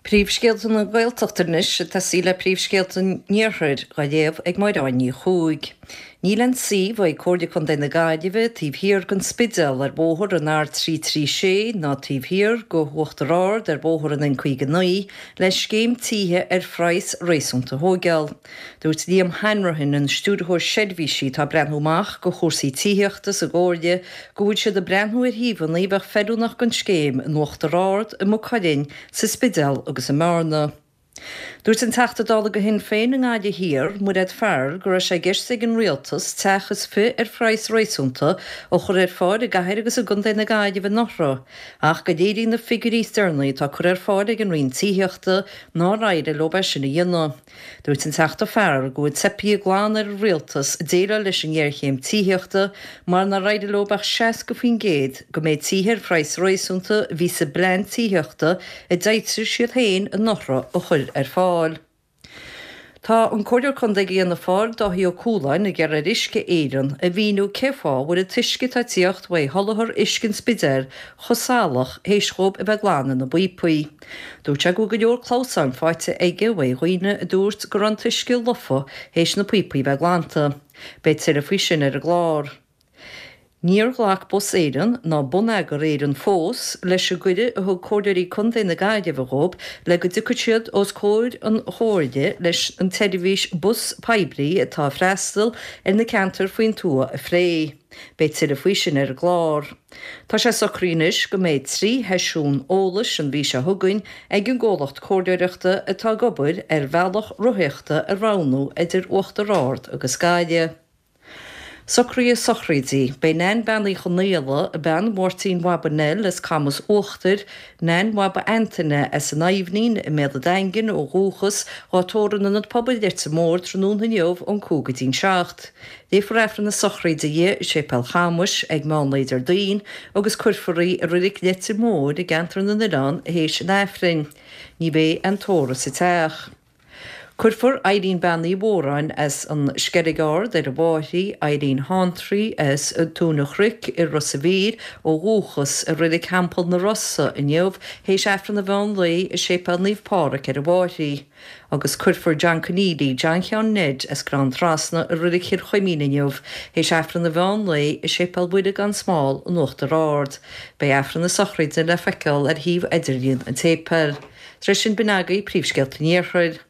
Príomhscéalta na Gaeltachta anois ag tosaí le príomhscéalta an Iarthair dhá léamh ag Máire Áine Ní Chuaig. Níl aon suíomh ag Comhairle Contae na Gaillimhe taobh thiar den Spidéal ar bhóthar an R336 ná taobh thiar go hUachtar Ard ar bhóthar an N59 le scéim títhe ar phraghas réasúnta a thóigeáil. Dúirt Liam Hanrahan, an Stiúrthóir Seirbhísí atá ag breathnú amach go chúrsaí tithíochta sa gComhairle, go bhfuil siad ag breathnú ar shuíomhanna a bheadh feiliúnach don scéim in Uachtar Ard, i Maigh Cuilinn, sa Spidéal agus i mBearna. Dúirt an Teachta Dála do Shinn Féin i nGaillimh Thiar, Mairéad Farrell, go raibh sé i gceist ag an Rialtas teach is fi ar phraghas réasúnta a chur ar fáil i gcathair agus i gcontae na Gaillimhe anuraidh ach go léiríonn na figiúirí is deireanaí atá curtha ar fáil ag an Roinn Tithíochta nár éirigh leo é sin a dhéanamh. Dúirt an Teachta Farrell go bhfuil teipthe glan ar an Rialtas déileáil leis an ngéarchéim tithíochta mar nár éirigh leo ach 60% go méid tithe ar phraghas réasúnta a bhí sa bplean tithíochta a d'fhoilsigh siad féin anuraidh a chur ar fáil. Tá an Comhairleoir Contae do Fhianna Fáil, Dáithí Ó Cualáin, ag iarraidh ar Uisce Éireann a mhíniú cé fáth a bhfuil an t-uisce atá ag tíocht uaidh sholáthar uisce an Spidéil chomh salach théis dhóibh a bheith ag glanadh na bpíopaí. Dúirt sé go bhfuil go leor clamhsáin faighte aige uaidh dhaoine a dúirt go raibh an t-uisce lofa théis na píopaí bheith glanta. Beidh tuilleadh faoi sin ar an gclár. Níor ghlac Bus Éireann ná Bonneagar Éireann fós leis an gcuireadh a thug Comhairleoirí Contae na Gaillimhe dhóibh le go dtiocfadh siad os comhair an Chomhairle leis an tseirbhís bus poiblí atá ag freastal ar na ceantair faoin tuath a phlé. Beidh tuilleadh faoi sin ar an gclár. Tá sé socraithe anois go mbeidh 3 sheisiún eolais an mhí seo chugainn ag an gcomhlacht comhairleoireachta atá ag obair ar bhealach rothaíochta a roghnú idir Uachtar Ard agus Gaillimh. Socruithe sochraide. Beidh Nan Bean Uí Chonaola, bean Mháirtín Bhaba Nell as Camas Uachtair, Nan Bhaba Antaine as an Aibhnín i mBéal an Daingin ó dhúchas, dhá tórramh in Ionad Pobail Leitir Móir tráthnóna inniu ón 5 go dtí'n 7. Léifear Aifreann na sochraide di i Séipéal Chamuis ag meán lae Déardaoin agus cuirfear í i Reilig Leitir Móir i gCeantar na nOileán théis an Aifrinn. Ní bheidh aon tórramh sa teach. Cuirfear Irene Bean Uí Mhóráin as an Sceilg Ard ar an Bháithrí, Irene Shantraí as Tóin an Chnoic i Ros a' Mhíl ó dhúchas, i Reilig Theampall na Rosa inniu théis Aifreann an mheán lae i Séipéal Naomh Páraic ar an Bháithrí. Agus cuirfear John Conneely, John Sheáin Ned as Gleann Trasna i Reilig Chill Chuimín inniu théis Aifreann an mheán lae i Séipéal Mhuire gan Smál in Uachtar Ard. Beidh Aifreann na sochraide le feiceáil ar shuíomh idirlíon an tséipéil. Tar éis sin b'in agaibh príomhscéalta an Iarthair.